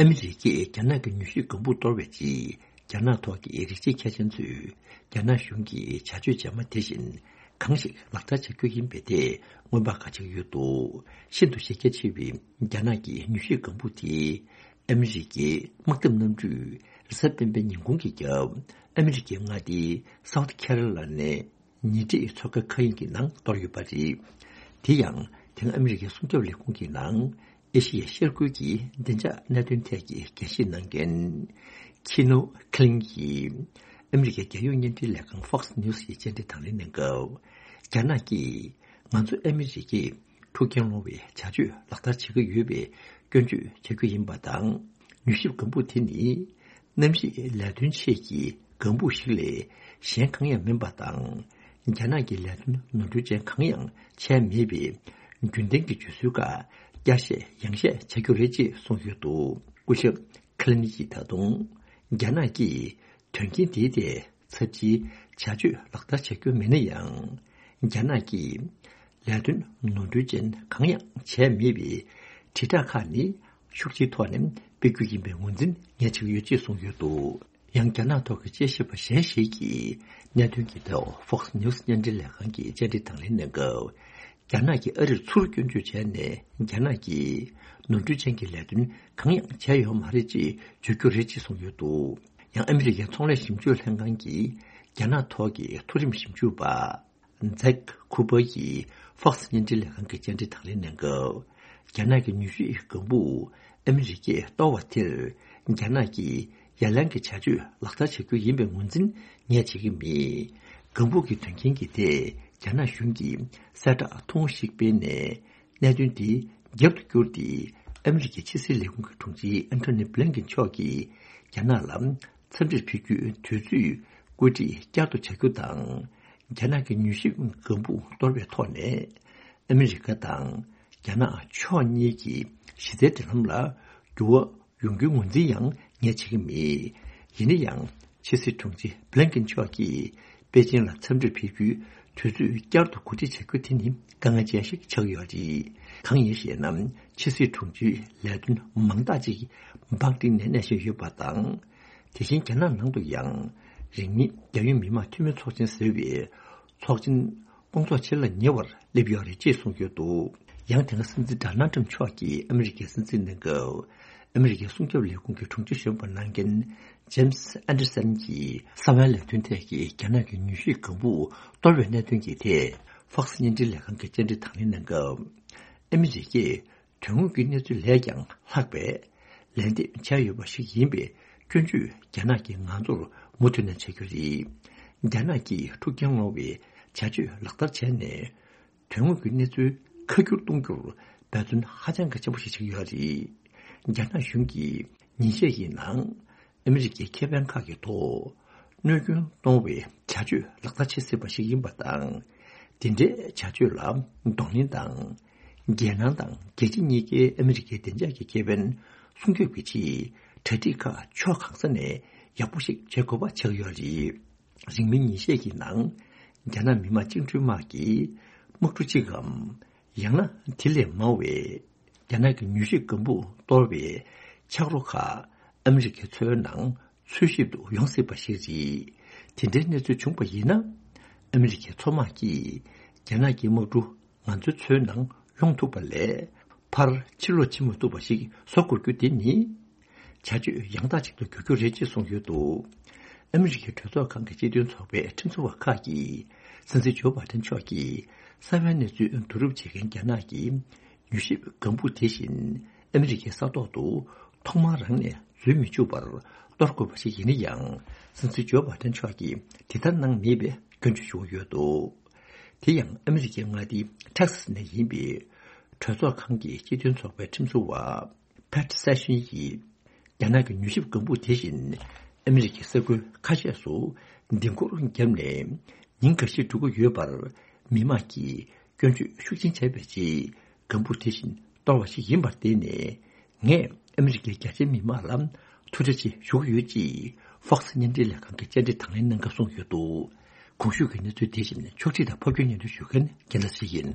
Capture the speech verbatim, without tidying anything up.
ཨ་མི་རི་ཀས་རྒྱ་ནག་གི་མྱུལ་ཞིབ་ལྒང་བུ་གཏོར་བའི་རྗེས། རྒྱ་ནག་ཐོག་གི་རིགས་གཅིག་མཁས་ཅན་ཚོས་རྒྱ་ནག་གཞུང་གི་བྱ་སྤྱོད་རྗེས་མ་དེ་བཞིན་གང་ཞིག་ལག་བསྟར་བྱ་རྒྱུ་ཡིན་པའི་ཐད་སྔོན་དཔག་ག་བྱེད་ཀྱི་ཡོད་འདུག་ཤིན་ཏུ་གཞི་རྒྱ་ཆེ་བའི་རྒྱ་ནག་གི་མྱུལ་ཞིབ་ལྒང་བུ་དེ། ཨ་མི་རི་ཀའི་དམག་འཐབ་གནམ་གྲུས་རེས་གཟའ་སྤེན་པའི་ཉིན་གུང་གི་རྒྱབ། ཨ་མི་རི་ཀའི་མངའ་སྡེ་སའུ་ཐི་ཁེ་རོ་ལ་ནའི་ཉེ་འཁྲིས་མཚོ་ཁ་མཁའ་དབྱིངས་ཀྱི་ནང་གཏོར་ཡོད་པ་རེད། དེ་ཡང་དེ་སྔ་ཨ་མི་རི་ཀའི་སྲུང་སྐྱོབ་ལས་ཁུངས་ཀྱི་ནང་ཨེ་ཤི་ཡའི་ཤར་ཁུལ་གྱི་བདེ་འཇགས་གནད་དོན་ཐད་ཀྱི་འགན་བཞེས་གནང་མཁན་ཁི་ནོ་ཁི་ལིན་གྱིས་ཨ་མི་རི་ཀའི་རྒྱལ་ཡོངས་བརྙན་འཕྲིན་ལས་ཁང་Fox News ཡི་བཅར་འདྲི་དང་ལེན་གནང་སྐབས། རྒྱ་ནག་གིས་ང་ཚོ་ཨ་མི་རི་ཀས་འཁྲུག་རྐྱེན་སློང་བའི་བྱ་སྤྱོད་ལག་བསྟར་བྱེད་ཀྱི་ཡོད་པའི་སྐྱོན་བརྗོད་བྱ་རྒྱུ་ཡིན་པ་དང་། མྱུལ་ཞིབ་ལྒང་བུ་དེ་ནི་གནམ་གཤིས་ལས་དོན་ཆེད་ཀྱི་ལྒང་བུ་ཞིག་ལས་གཞན་གང་ཡང་མིན་པ་དང་། རྒྱ་ནག་གི་ལས་དོན་ནོར་འཁྲུལ་ཅན་གང་ཡང་བྱས་མེད་པའི་རྒྱུན་ལྡན་གྱི་བརྗོད་སྲོལ་ཁག་བསྐྱར་བཤད་ཡང་བཤད་བྱ་རྒྱུ་རེད་ཅེས་གསུངས་ཡོད་འདུག་སྐུ་ཞབས་ཁི་ལིན་གྱིས་ད་དུང་རྒྱ་ནག་གིས་དོན་རྐྱེན་དེའི་ཐད་ཚབས་ཆེའི་བྱ་སྤྱོད་ལག་བསྟར་བྱ་རྒྱུ་མེད་ན་ཡང་། རྒྱ་ནག་གིས་ལས་དོན་ནོར་འཁྲུལ་ཅན་གང་ཡང་བྱས་མེད་པའི་དྲིལ་བསྒྲགས་ཁག་ནི་ཤུགས་ཆེའི་ཐོག་ནས་སྤེལ་རྒྱུ་ཡིན་པའི་ངོས་འཛིན་ངས་བྱེད་ཀྱི་ཡོད་ཅེས་གསུངས་ཡོད་འདུག་ཡང་རྒྱ་ནག་ཐོག་གི་དཔྱད་ཞིབ་པ་གཞན་ཞིག་གིས་གནད་དོན་གྱི་ཐོག་Fox News བརྙན་འཕྲིན་ལས་ཁང་གི་བཅར་འདྲི་དང་ལེན་གནང་སྐབས། རྒྱ་ནག་གིས་ཨ་རིར་ཚུར་སྐྱོན་བརྗོད་བྱས་ནས། རྒྱ་ནག་གིས་ནོར་འཁྲུལ་ཅན་གྱི་ལས་དོན་གང་ཡང་བྱས་ཡོད་མ་རེད་ཅེས་བརྗོད་རྒྱུ་རེད་ཅེས་གསུངས་ཡོད་འདུག་ཡང་ཨ་མི་རི་ཀའི་ཚོང་ལས་ཞིབ་འཇུག་ལྷན་ཁང་གི་རྒྱ་ནག་ཐོག་གི་མཐོ་རིམ་ཞིབ་འཇུག་པ་ཛེག་ཁུ་པར་གྱིས་Fox བརྙན་འཕྲིན་ལས་ཁང་གི་བཅར་འདྲི་དང་ལེན་གནང་སྐབས། རྒྱ་ནག་གི་མྱུལ་ཞིབ་ལྒང་བུ་ཨ་མི་རི་ཀས་གཏོར་བ་དེར། རྒྱ་ནག་གིས་ཡ་ལན་གྱི་བྱ་སྤྱོད་ལག་བསྟར་བྱ་རྒྱུ་ཡིན་པའི་ངོས་འཛིན་ངས་བྱེད་ཀྱི་མེད། ལྒང་བུ་གི་དོན་རྐྱེན་གྱི་ཐད་རྒྱ་ནག་གཞུང་གིས་གསལ་བསྒྲགས་ཐུང་ངུ་ཞིག་སྤེལ་ནས། གནད་དོན་དེ་རྒྱབ་ཏུ་བསྐྱུར་ཏེ། ཨ་མི་རི་ཀའི་ཕྱི་སྲིད་ལས་ཁུངས་ཀྱི་དྲུང་ཆེ་ཨན་ཐོ་ནི་བྷི་ལིན་ཀེན་མཆོག་གིས་རྒྱ་ནག་ལ་འཚམས་འདྲིར་ཕེབས་རྒྱུའི་དུས་ཚོད་བཀོད་སྒྲིག་བསྐྱར་དུ་བྱ་རྒྱུ་དང་། རྒྱ་ནག་གི་མྱུལ་ཞིབ་ལྒང་བུ་གཏོར་བའི་ཐོག་ནས་ཨ་མི་རི་ཀ་དང་རྒྱ་ནག་ཕྱོགས་གཉིས་ཀྱི་གཞི་རྩའི་འབྲེལ་ལམ་ལ་འགྱུར་བ་ཡོང་རྒྱུའི་ངོས་འཛིན་ཡང་ངས་བྱེད་ཀྱི་མེད། ཡིན་ན་ཡང་ཕྱི་སྲིད་དྲུང་ཆེ་བྷི་ལིན་ཀེན་མཆོག་གིས་པེ་ཅིན་ལ་འཚམས་འདྲིར་ཕེབས་རྒྱུའི་དུས་ཚོད་བསྐྱར་དུ་གོ་སྒྲིག་བྱ་རྒྱུ་དེ་ནི་དཀའ་ངལ་ཅན་ཞིག་ཆགས་ཡོད་རེད། གང་ཡིན་ཞེ་ན། ཕྱི་སྲིད་དྲུང་ཆེའི་ལས་དོན་མང་དག་ཅིག་པེ་ཅིན་ནས་གནས་བཞིན་ཡོད་པ་དང་། དེ་བཞིན་རྒྱ་ནག་ནང་དུ་ཡང་། རིང་མིན་རྒྱལ་ཡོངས་མི་དམངས་འཐུས་མི་ཚོགས་ཆེན་ཟེར་བའི་ཚོགས་ཆེན་སྐོང་ཚོགས་བྱེད་ལ་ཉེ་བར་སླེབས་ཡོད་རེད་ཅེས་གསུངས་ཡོད་འདུག་ཡང་དེ་སྔ་སྲིད་འཛིན་ཌོ་ནལ་ཊམ་མཆོག་གིས་ཨ་མི་རི་ཀའི་སྲིད་འཛིན་གནང་སྐབས། ཨ་མི་རི་ཀའི་སྲུང་སྐྱོབ་ལས་ཁུངས་ཀྱི་དྲུང་ཆེ་གཞོན་པ་གནང་མཁན་ཇེམ་སི་ཨན་ཌར་སན་གྱིས་གསང་བའི་ལས་དོན་ཐད་ཀྱི་རྒྱ་ནག་གི་མྱུལ་ཞིབ་ལྒང་བུ་གཏོར་བའི་གནད་དོན་གྱི་ཐད། ཧྥོག་སི་བརྙན་འཕྲིན་ལས་ཁང་གི་བཅར་འདྲི་དང་ལེན་གནང་སྐབས། ཨ་མི་རི་ཀས་དོན་དངོས་ཀྱི་གནས་ཚུལ་ལས་ཀྱང་ལྷག་པའི་ལན་འདེབས་བྱས་ཡོད་པ་ཞིག་ཡིན་པའི་སྐྱོན་བརྗོད་རྒྱ་ནག་གིས་ང་ཚོར་མུ་མཐུད་ནས་བྱ་རྒྱུ་རེད། རྒྱ་ནག་གིས་འཁྲུག་རྐྱེན་སློང་བའི་བྱ་སྤྱོད་ལག་བསྟར་བྱས་ནས། དོན་དངོས་ཀྱི་གནས་ཚུལ་ཁ་བསྒྱུར་གཏོང་རྒྱུར་འབད་བརྩོན་ཧ་ཅང་གི་ཆེན་པོ་ཞིག་བྱེད་ཀྱི་ཡོད་རེད། རྒྱ་ནག་གཞུང་གིས་ཉིན་ཤས་ཀྱི་ནང་ཨ་མི་རི་ཀའི་ཁེ་ཕན་ཁག་གི་ཐོག་གནོད་སྐྱོན་གཏོང་བའི་བྱ་སྤྱོད་ལག་བསྟར་བྱེད་སྲིད་པ་ཞིག་ཡིན་པ་དང་། དེ་འདྲའི་བྱ་སྤྱོད་ལ་གདོང་ལེན་དང་། རྒྱལ་ནང་དང་རྒྱལ་སྤྱི་གཉིས་ཀའི་ཨ་མི་རི་ཀའི་བདེ་འཇགས་ཀྱི་ཁེ་ཕན་སྲུང་སྐྱོབ་ཀྱི་ཆེད་གྲ་སྒྲིག་ཁག་ཕྱོགས་གང་ས་ནས་ཡག་པོ་ཞིག་བྱེད་དགོས་པ་ཆགས་ཡོད་རེད། རིང་མིན་ཉིན་ཤས་ཀྱི་ནང་། རྒྱ་ནག་མི་དམངས་བཅིངས་འགྲོལ་དམག་གིས་དམག་གྲུ་གཅིག་གམ། ཡང་ན་དེ་ལས་མང་བའི་རྒྱ་ནག་གི་མྱུལ་ཞིབ་ལྒང་བུ་གཏོར་བའི་ཆག་རོ་ཁག་ཨ་མི་རི་ཀའི་མཚོའི་ནང་འཚོལ་ཞིབ་ཏུ་ཡོང་སྲིད་པ་ཞིག་རེད། དེ་འདྲའི་གནས་ཚུལ་བྱུང་བ་ཡིན་ན། ཨ་མི་རི་ཀའི་མཚོ་དམག་གིས་རྒྱ་ནག་གི་དམག་གྲུ་ང་ཚོའི་མཚོའི་ནང་ཡོང་ཐུབ་པ་ལས། ཕར་ཕྱིར་ལོག་བྱེད་མ་ཐུབ་པ་ཞིག་བཟོ་དགོས་རྒྱུ་དེ་ནི། བྱ་སྤྱོད་ཡང་དག་ཅིག་ཏུ་འགྱུར་རྒྱུ་རེད་ཅེས་གསུངས་ཡོད་འདུག་ཨ་མི་རི་ཀའི་གྲོས་ཚོགས་ཁང་གི་སྤྱི་མཐུན་ཚོགས་པའི་ཁྲིམས་བཟོ་བ་ཁག་གིས། སྲིད་འཛིན་ཇོ་བྷ་དན་མཆོག་གིས་གསང་བའི་གནས་ཚུལ་བསྡུ་རུབ་བྱེད་མཁན་རྒྱ་ནག་གི་མྱུལ་ཞིབ་ལྒང་བུ་དེ་བཞིན་ཨ་མི་རི་ཀའི་ས་ཐོག་ཏུ་ཐོག་མར་རང་ནས་འཛུལ་མི་བཅུག་པར་གཏོར་དགོས་པ་ཞིག་ཡིན་ན་ཡང་། སྲིད་འཛིན་ཇོ་བྷ་དན་མཆོག་གིས་དེ་ལྟར་གནང་མེད་པའི་སྐྱོན་བརྗོད་ཞུ་གི་ཡོད་འདུག་དེ་ཡང་ཨ་མི་རི་ཀའི་མངའ་སྡེ་ཊེག་སཱས་ནས་ཡིན་པའི་གྲོས་ཚོགས་ཁང་གི་སྤྱི་མཐུན་ཚོགས་པའི་ཁྲིམས་བཟོ་བ། ཕེཊ་སེ་ཤན་གྱིས་རྒྱ་ནག་གི་མྱུལ་ཞིབ་ལྒང་བུ་དེ་བཞིན་ཨ་མི་རི་ཀའི་ས་ཁུལ་ཁ་ཤས་སུ་ལྡིང་སྐོར་བརྒྱབ་ནས་ཉིན་འགའ་ཤས་འགྲོ་གི་ཡོད་པར། མི་མང་གིས་སྐྱོན་བརྗོད་ཤུགས་ཆེན་བྱས་པའི་རྗེས་ལྒང་བུ་དེ་བཞིན་གཏོར་བ་ཞིག་ཡིན་པར་བརྟེན་ནས། ངས་ཨ་མི་རི་ཀའི་རྒྱ་ཆེའི་མི་མང་ལ་ཐུགས་རྗེ་ཆེ་ཞུ་གི་ཡོད་ཅེས་ཧྥོག་སི་བརྙན་འཕྲིན་ལས་ཁང་གི་བཅར་འདྲི་དང་ལེན་གནང་སྐབས་གསུངས་ཡོད་འདུག་གོང་ཞུས་ཀྱི་གནས་ཚུལ་དེ་བཞིན་ཕྱོགས་སྒྲིག་དང་ཕབ་སྒྱུར་སྙན་སྒྲོན་ཞུ་མཁན་རྒན་ལགས་ཡིན།